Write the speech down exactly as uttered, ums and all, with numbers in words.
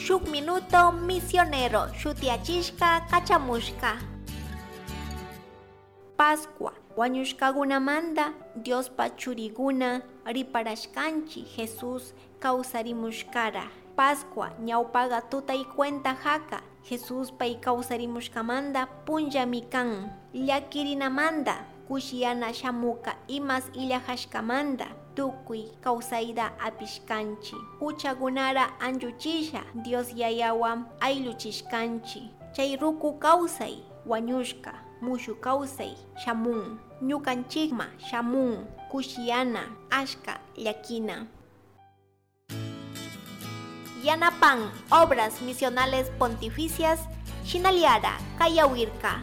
Shuk Minuto Misionero shutiachishka kachamushka. Pascua wañushkagunamanda Diospa churiguna riparashkanchi Jesús kawsarimushkara. Pascua ñawpaga tutay cuenta haka Jesús pay kawsarimushkamanda punllami kan. Llakirinamanda kushiyana shamuka imas illajashkamanda tukuy kawsayta apishkanchi. Huchagunara anchuchisha Dios yayawan aylluchishkanchi. Chay ruku kawsay wañushka mushu kawsay shamun. Ñukanchikma shamun kushiyana ashka llakina. Yanapan Obras Misionales Pontificias Shinaliara Kayawirka.